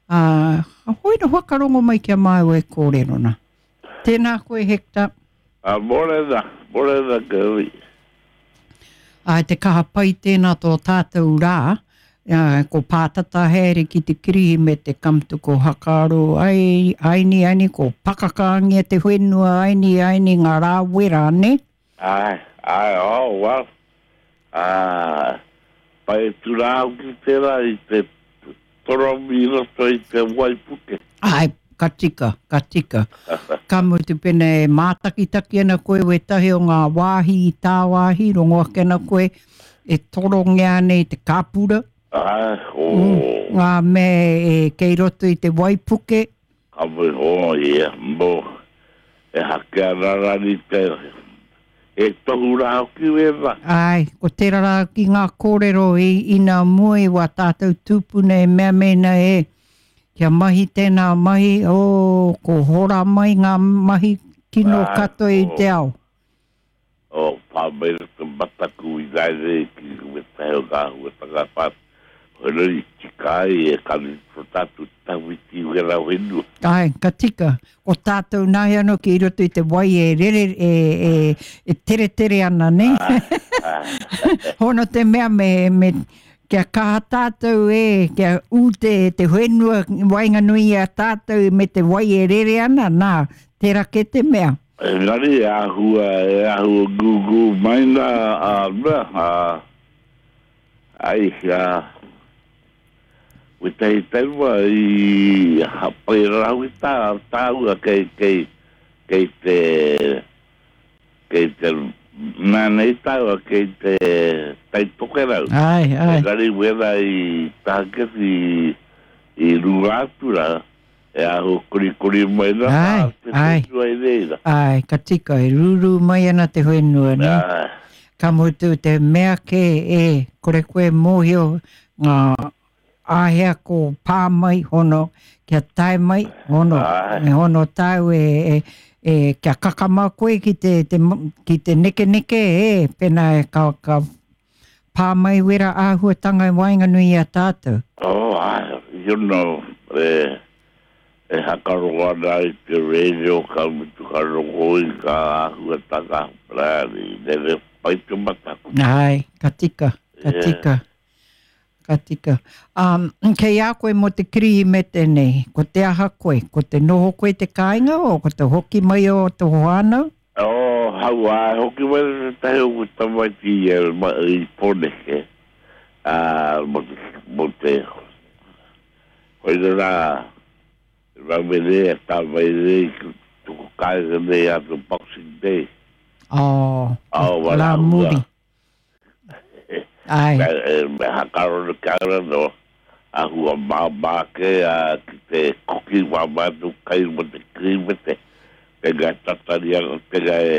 Ā, hoi na whakarongo mai ki a māua e kōrero na. Tēnā koe Hector. Ā, mōrena, mōrena Gerry. Āe, te kaha pai tēnā tō tātou rā, ā, ko pātata haere ki te Kirihimete ka mutu ko Hakaaro ai, aini, aini, ko pakakaangia te whenua, aini, aini, ngā rā wera, nē? Āe, āe, oh, well, ā, pai atu rā hoki tērā i te toromi i roto i te waipuke. Āe, ka tika, ka tika. Ka mutu pēnā e mātakitaki ana koe wētahi o ngā wāhi i tāwāhi, rongo ake ana koe e torongia ana i te kāpura. Āe, oh. Ngā mea e kei roto i te waipuke. Ka moe oh ia, mo, e hake ana rani te, he tohu rā hoki wēnā. Āe, ko tērā rā ki ngā kōrero i ina mua i wā tātou tūpuna e mea mēnā e, kia mahi tēnā mahi, oh, ko hora mai ngā mahi kino katoa i te ao. O Pāmera te mataku i haere ki wētahi o ngā āhuatanga whā, whenua i tika ai e kare to tātou tawhiti wera whenua. Āe, ka tika. Ko tātou nāi anō ki roto i te wai e rere, e, e, e teretere ana, nē? Āe, āe. Hono te mea me, me, kia kaha tātou e, kia ū te, te whenua waenganui i a tātou me te wai e rere ana, nā, tērā kē te mea. Engari e āhua, e āhua gūgū mai nā a mea, a, ai, a, wētahi taima i hapai rā hoki tā, tāua kei, kei, kei te, kei te mea nei tāua kei te Tai Tokerau. Āe, āe. Engari wērā i Tahaketi i runga atu rā, E ahu korikori mai na Ae, te ae. whenua i reira. Ae, ka tika, e rūrū mai ana te whenua, ne? Ae. Ka mutu te mea kē, e, kore koe mōhio ngā āhea ko pā mai, hono, kia tae mai, hono, Ae. e hono tāu e, e, e, kia kakama koe ki te, te, ki te nekeneke, e, pēnā e ka, ka pā mai wera āhuatanga i waenganui i a tātou. Oh, ae, you know, e, e hakarongo ana i te radio ka mutu ka rongo i ngā āhuatanga, bloody, rere pai te mataku. Ae, ka tika, ka tika, ka tika. Um, kei a koe mō te Kirihimete nei, ko te aha koe? Ko te noho koe i te kāinga o ko te hoki mai o tō whānau? Oh, hauā, e hoki mai ana tētahi o ku tamaiti i a i Pōneke, ā, mō te, mō te, koina rā, Rāwene e tā mai nei ki tuku kāinga nei a te Boxing Day. Oh, Oh, rā muri. Ae. Me hakaro te kāinga no, āhua māmā ake ki te koki wā mātou kai mo te Kirihimete, tēnā tatari ana, tēnā e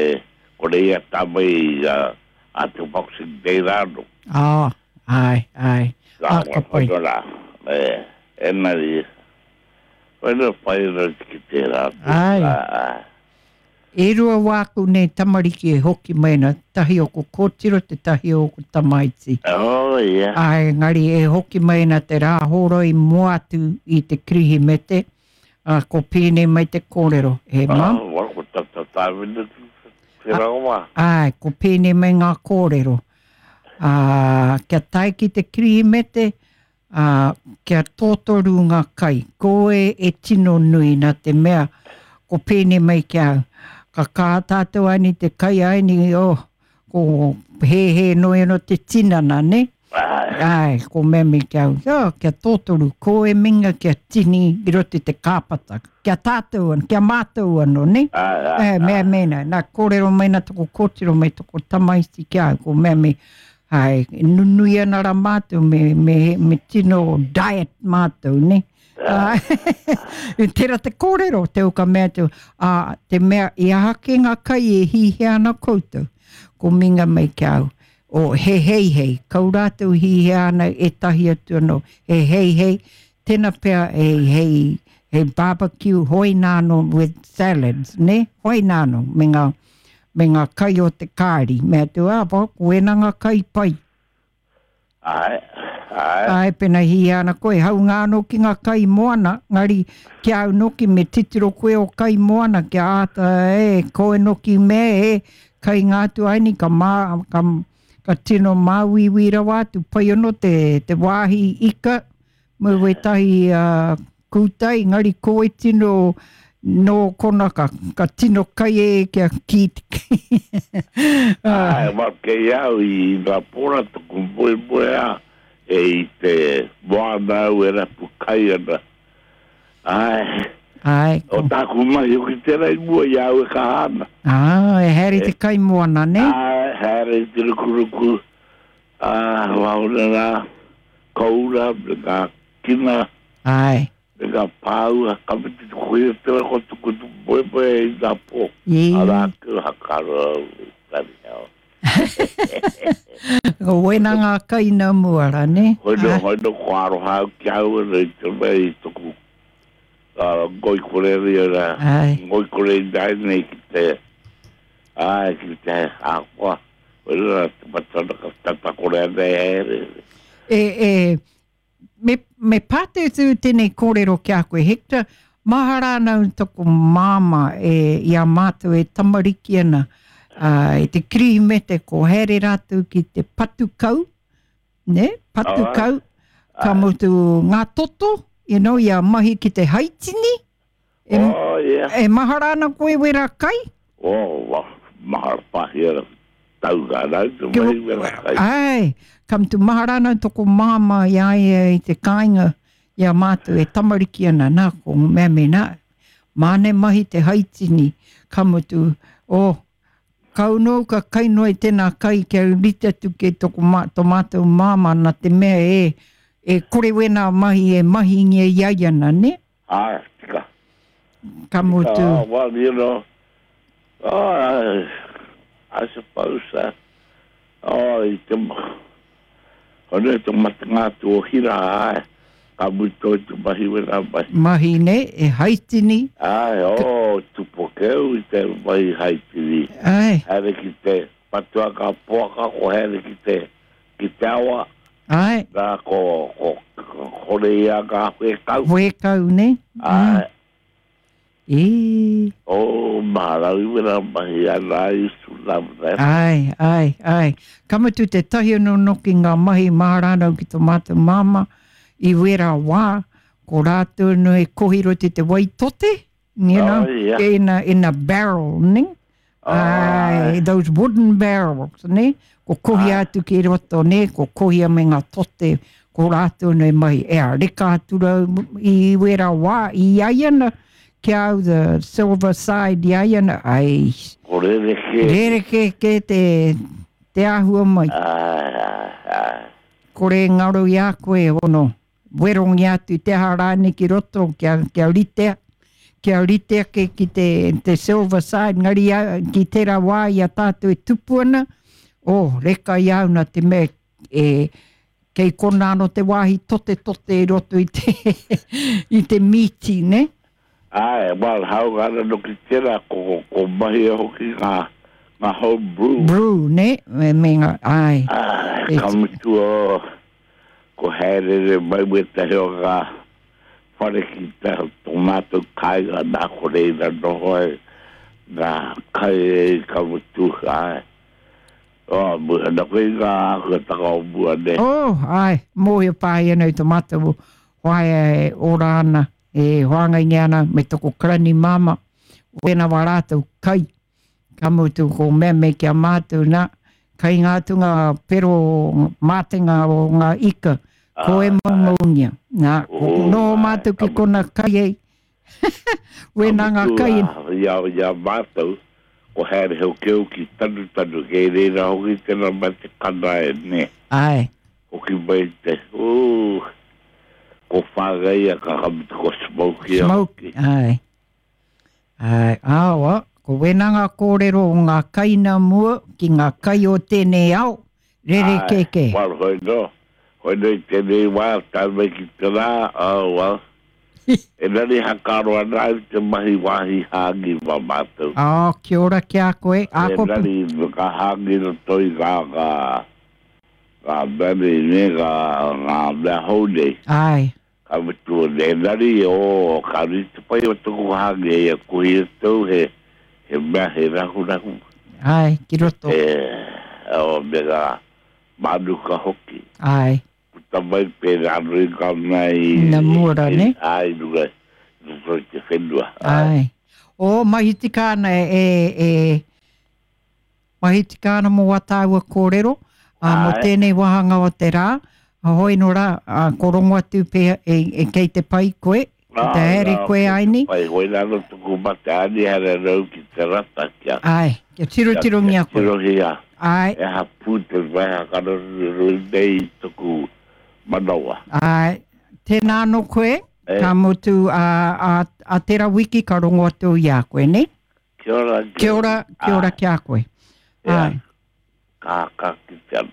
kore ia tā mai a te Boxing Day rā anō. Oh, ae, ae. Ah, ka pai. Rā, engari, koina pai ana ki tērā atu. Ae. Ae. E rua wāku nei tamariki e hoki mai ana, tahi o ko kōtiro, te tahi o ko tamaiti. Oh, yeah. Āe, engari e hoki mai ana te rā hōroi mua atu i te Kirihimete, ā, ko pēnei mai te kōrero, e Mum. Oh, well, ko tata tāwina te rawa. Āe, ko pēnei mai ngā kōrero. Ā, kia tae ki te Kirihimete, Ā, kia tōtoru ngā kai. Koe e tino nui nā te mea ko pēnei mai ki a au, ka kaha tātou aini te kai aini, oh, ko hēhē noi anō te tinana, nē? Āe, ko mea mai ki a au, oh, kia tōtoru, koe minga kia tini i roto i te kāpata, kia tātou anō, kia mātou anō, nē? Āe, mea mēnā, nā kōrero mai nā toko kōtiro mai toko tamaiti ki a au, ko mea mai, Ae, nunui ana ra mātou me, me, me tino diet mātou, ne? Ae, tera te kōrero, te o ka mea atu, a, te mea i aha ke ngā kai e hihia ana koutou, ko minga mai ki au, o he heihei, kau rātou hihia ana ētahi atu anō, he heihei, tena pea hei, hei, hei barbecue, hoi nāno with salads, ne? Hoi nāno, me ngā, me ngā kai o te kāri. Mea atu, ā, ko wēnā ngā kai pai. Āe, Āe. Āe, pena hīia ana koe, haunga anō ki ngā kai moana, ngari ki a au noki me titiro koe o kai moana kia āta e koe noki me e kainga atu ai ni ka mā, ka, ka tino māuiui rawa atu, pai anō te, te wāhi ika me wētahi uh, kūtai, engari koe tino nō kona ka, ka tino kai e kia ki Āe, well, kei au i ngā pora taku moemoeā e i te moana au e rapu kai ana. Āe. Āe. O tāku mahi hoki tērā i mua i a au e kaha ana. Ā, e haere te kai moana, nē? Āe, haere i te rukuruku, ā, waona rā, koura, me ngā kina. Āe. Me ngā pāua, ka mutu te kohi o te rako tuku moemoe i ngā pō. Arā, kua hakaro au i tari ao. Ko wena ngā kai nā mua rā, nē? Hoi no, hoi no, ko aroha au ki au ana i te mea i toku ngoikore ria rā. Ngoikore i nai nei ki te, āe, ki te akoa. Hoi no rā, te matana ka tatakore ana e haere. E, e, Me, me pātūtū tēnei kōrero ki a koe, Hector, mahara ana au taku māmā e, i a mātou e tamariki ana, uh, i te Kirihimete ko haere rātou ki te patu kau, ne, patu kau, ka mutu ngā toto, you know, i a mahi ki te haitini, E, oh, yeah. E mahara ana koe wera kai? Oh, wa, mahara pahi ana tau ngā rau te mahi wera kai. Ai, ka mutu mahara ana toko māmā i a ia i te kāinga i a mātou e tamariki ana, nā, ko mea me nā, māne mahi te haitini, ka mutu, oh, kau nō ka kai noa i tēnā kai kia rite atu ki toko mā, to mātou māmā nā te mea e, e kore wēnā mahi e mahingia i a ia ana, ne? Āe, tika. Ka mutu. Tika, well, you know, oh, I, I suppose, uh, oh, i te, hone te matenga atu o Hira, āe, ka mutu i te mahi wena mahi. Mahi ne, e haitini. Āe, oh, tupokeu i te mahi haitini. Āe. Haere ki te patua ka poaka, ko haere ki te, ki te awa. Ae. Nā, ko, ko, ko kore ia ngā whēkau. Whēkau, ne? Ae. E. Oh, maharau i wera mahi ana, I used to love that. Ae, ae, ae. Ka mutu te tahi anō noki ngā mahi mahara ana au ki tō mātou māmā i wera wā, ko rātou anō e kohi roto i te wai tote, you know, Oh, yeah. in a, in a barrel, ne? Oh, Ai, those wooden barrels, ne? Ko kohia atu ki roto, ne? Ko kohia me ngā tote, ko rātou nei mahi. E a reka atu rau i wera wā, i ai ana, ki au the silver side i ai ana, ai. Ko rerekē. Rerekē ke te, te āhua mai. Ai, ai, ai. Kore ngaro i a koe, ono. Werongia atu te aha rānei ki roto kia, kia ritea, kia rite ake ki te, te silver side, ngari a, ki tērā wā i a tātou e tupu ana, oh, reka i a au nā te mea e, kei konā anō te wāhi totetote i roto i te, i te mīti, ne? Āe, well, hāunga ana noki tērā, ko, ko mahia hoki ngā, ngā home brew. Brew, ne? Me, me ngā, āe. Āe, ka mutu o, ko haerere mai wētahi o ngā whare ki te, tō mātou kāinga, nā ko reira noho ai ngā kai e ka mutu, āe. Oh, mua, nā koe i ngā āhuatanga o mua, ne? Oh, āe, mōhio pāhi ana i tō mātou whaea e ora ana. E whāngaingia ana me toko karani māmā, wēnā wā rātou kai, ka mutu ko mea me ki a mātou nā, kai ngā atu ngā pero mātenga o ngā ika, ko e maumaungia. Nā, ko noho mātou ki kona kai ei, wēnā ngā kai. Ia, ia mātou, ko haere hoki au ki Tanutanu, kei reira hoki tēnā mate kana e, nē. Āe. Hoki mai te, ooh, ko whāngaia ka mutu ko Smokey a Smoke, hoki. āe. Āe, āoa, ko wēnā ngā kōrero o ngā kai nā mua ki ngā kai o tēnei ao, rerekē Āe, kē. well, hoi nō, hoi nō i tēnei wā, tae mai ki te rā, oh, well, engari hakaaro ana au te mahi wāhi hāngi mā mātou. Oh, kia ora ki a koe. Ā, ko... Engari, ka hāngi roto i ngā, ngā, Ngā mea nei, nē, ngā, ngā mea hou nei. Āe. Ka mutu, engari, oh, ka nui te pai o taku hāngi hei a kohi atu he, he mea he rahurahu. Āe, ki roto. E, oh, me ngā mānuka hoki. Āe. Puta mai pērā anō i ngā mea i... Nā mua rā, nē? Āe, i runga, i roto i te whenua. Āe. Oh, mahi tika ana e, e, Mahi tika ana mō wā tāua kōrero, ā, mō tēnei wāhanga o te rā, hoi nō rā, ā, ko rongo atu pea e, e kei te pai koe, ki te haere koe aini. Pai, hoi rā no tuku mate ani haere rau ki te rata kia. Āe, kia tirotirongia koe. Kia tirohia. Āe. E aha pū te waiha karoruru nei i tuku manawa. Āe, tēnā anō koe, ka mutu ā, ā, ā tērā wiki ka rongo atu i a koe, nei? Kia ora. Kia ora, kia ora ki a koe. Ai. Ka, ka ki te anu.